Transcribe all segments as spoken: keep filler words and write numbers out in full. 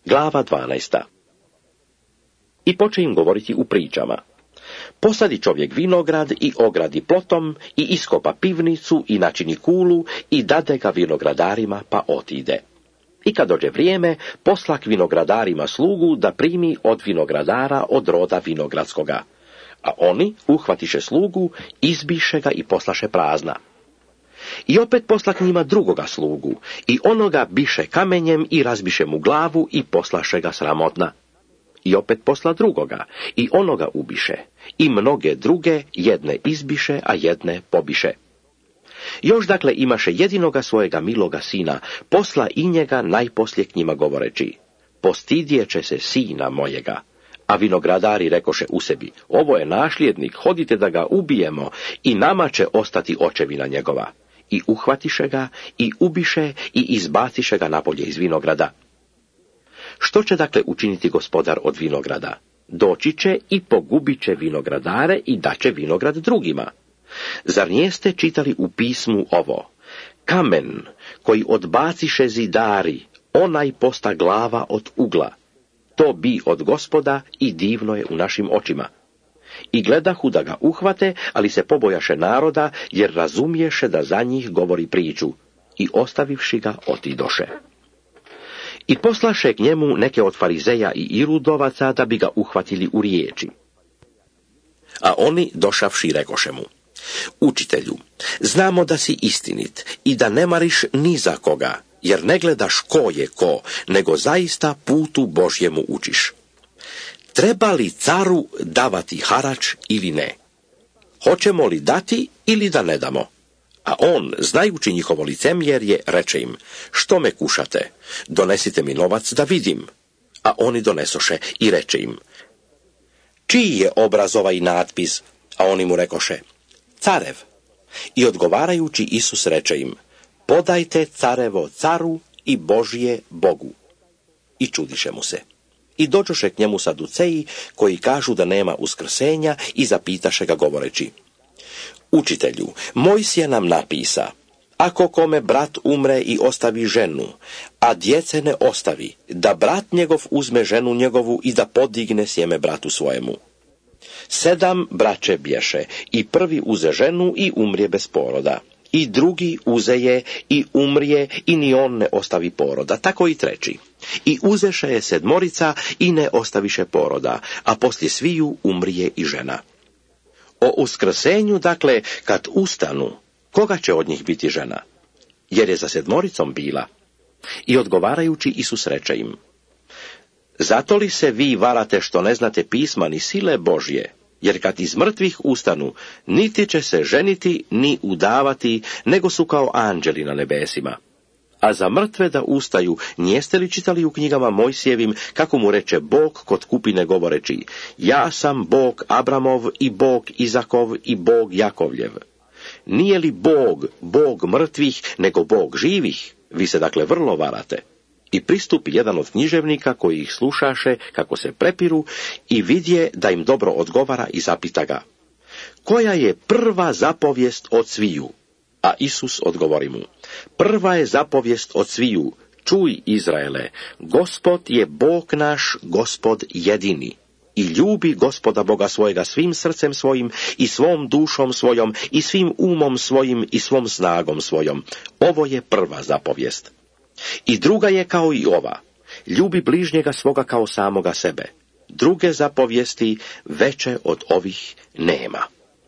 Glava dvanaesta. I poče im govoriti u pričama. Posadi čovjek vinograd i ogradi plotom i iskopa pivnicu i načini kulu i dade ga vinogradarima pa otide. I kad dođe vrijeme, posla k vinogradarima slugu da primi od vinogradara od roda vinogradskoga. A oni uhvatiše slugu, izbiše ga i poslaše prazna. I opet posla k njima drugoga slugu, i onoga biše kamenjem i razbiše mu glavu i poslaše ga sramotna. I opet posla drugoga, i onoga ubiše, i mnoge druge jedne izbiše, a jedne pobiše. Još dakle imaše jedinoga svojega miloga sina, posla i njega najposlije k njima govoreći, postidjeće se sina mojega. A vinogradari rekoše u sebi, ovo je nasljednik, hodite da ga ubijemo i nama će ostati očevina njegova. I uhvatiše ga, i ubiše, i izbaciše ga napolje iz vinograda. Što će dakle učiniti gospodar od vinograda? Doći će i pogubit će vinogradare i daće vinograd drugima. Zar nijeste čitali u pismu ovo? Kamen koji odbaciše zidari, onaj posta glava od ugla. To bi od Gospoda i divno je u našim očima. I gledahu da ga uhvate, ali se pobojaše naroda, jer razumiješe da za njih govori priču. I ostavivši ga, otidoše. I poslaše k njemu neke od farizeja i irudovaca da bi ga uhvatili u riječi. A oni, došavši, rekoše mu, učitelju, znamo da si istinit i da ne mariš ni za koga, jer ne gledaš ko je ko, nego zaista putu Božjemu učiš. Treba li caru davati harač ili ne? Hoćemo li dati ili da ne damo? A on, znajući njihovo licemjerje, reče im, što me kušate? Donesite mi novac da vidim. A oni donesoše i reče im, čiji je obraz ovaj natpis? A oni mu rekoše, carev. I odgovarajući Isus reče im, podajte carevo caru i Božje Bogu. I čudiše mu se. I dođoše k njemu saduceji, koji kažu da nema uskrsenja, i zapitaše ga govoreći, učitelju, Mojsije nam napisa, ako kome brat umre i ostavi ženu, a djece ne ostavi, da brat njegov uzme ženu njegovu i da podigne sjeme bratu svojemu. Sedam braće bješe, i prvi uze ženu i umrije bez poroda. I drugi uze je i umrije i ni on ne ostavi poroda, tako i treći. I uzeše je sedmorica i ne ostaviše poroda, a poslije sviju umrije i žena. O uskrsenju, dakle, kad ustanu, koga će od njih biti žena? Jer je za sedmoricom bila. I odgovarajući Isus reče im, zato li se vi varate što ne znate pisma ni sile Božje? Jer kad iz mrtvih ustanu, niti će se ženiti, ni udavati, nego su kao anđeli na nebesima. A za mrtve da ustaju, nijeste li čitali u knjigama Mojsijevim, kako mu reče Bog kod kupine govoreći, ja sam Bog Abramov i Bog Izakov i Bog Jakovljev. Nije li Bog, Bog mrtvih, nego Bog živih? Vi se dakle vrlo varate. I pristupi jedan od književnika koji ih slušaše kako se prepiru i vidje da im dobro odgovara i zapita ga, koja je prva zapovijest od sviju? A Isus odgovori mu, prva je zapovijest od sviju, čuj Izraele, Gospod je Bog naš, Gospod jedini. I ljubi Gospoda Boga svojega svim srcem svojim i svom dušom svojom i svim umom svojim i svom snagom svojom. Ovo je prva zapovijest. I druga je kao i ova, ljubi bližnjega svoga kao samoga sebe. Druge zapovijesti veće od ovih nema.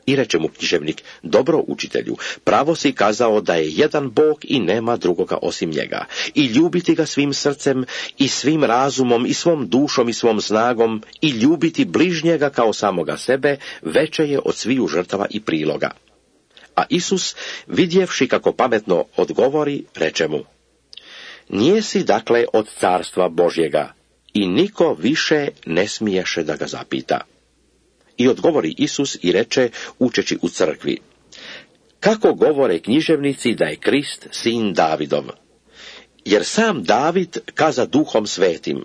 I reče mu književnik, dobro učitelju, pravo si kazao da je jedan Bog i nema drugoga osim njega. I ljubiti ga svim srcem i svim razumom i svom dušom i svom snagom i ljubiti bližnjega kao samoga sebe veće je od sviju žrtava i priloga. A Isus, vidjevši kako pametno odgovori, reče mu, nijesi dakle od carstva Božjega, i niko više ne smiješe da ga zapita. I odgovori Isus i reče, učeći u crkvi, kako govore književnici da je Krist sin Davidov? Jer sam David kaza duhom svetim,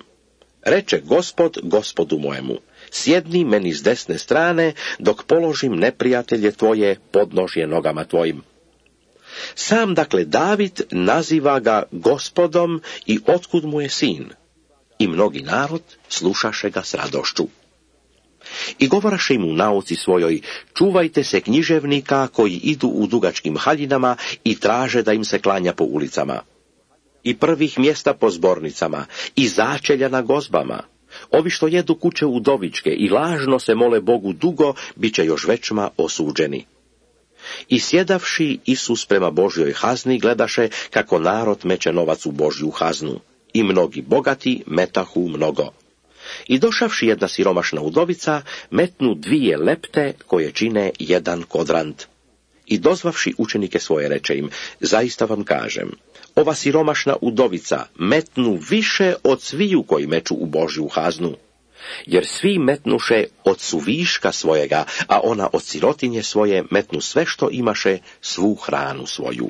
reče Gospod Gospodu mojemu, sjedni meni s desne strane, dok položim neprijatelje tvoje podnožje nogama tvojim. Sam dakle David naziva ga Gospodom i otkud mu je sin? I mnogi narod slušaše ga s radošću. I govoraše im u nauci svojoj, čuvajte se književnika koji idu u dugačkim haljinama i traže da im se klanja po ulicama. I prvih mjesta po zbornicama, i začelja na gozbama. Ovi što jedu kuće udovičke i lažno se mole Bogu dugo, bit će još većma osuđeni. I sjedavši Isus prema Božjoj hazni, gledaše kako narod meće novac u Božju haznu. I mnogi bogati metahu mnogo. I došavši jedna siromašna udovica, metnu dvije lepte koje čine jedan kodrant. I dozvavši učenike svoje reče im, zaista vam kažem, ova siromašna udovica metnu više od sviju koji meču u Božju haznu. Jer svi metnuše od suviška svojega, a ona od sirotinje svoje metnu sve što imaše, svu hranu svoju.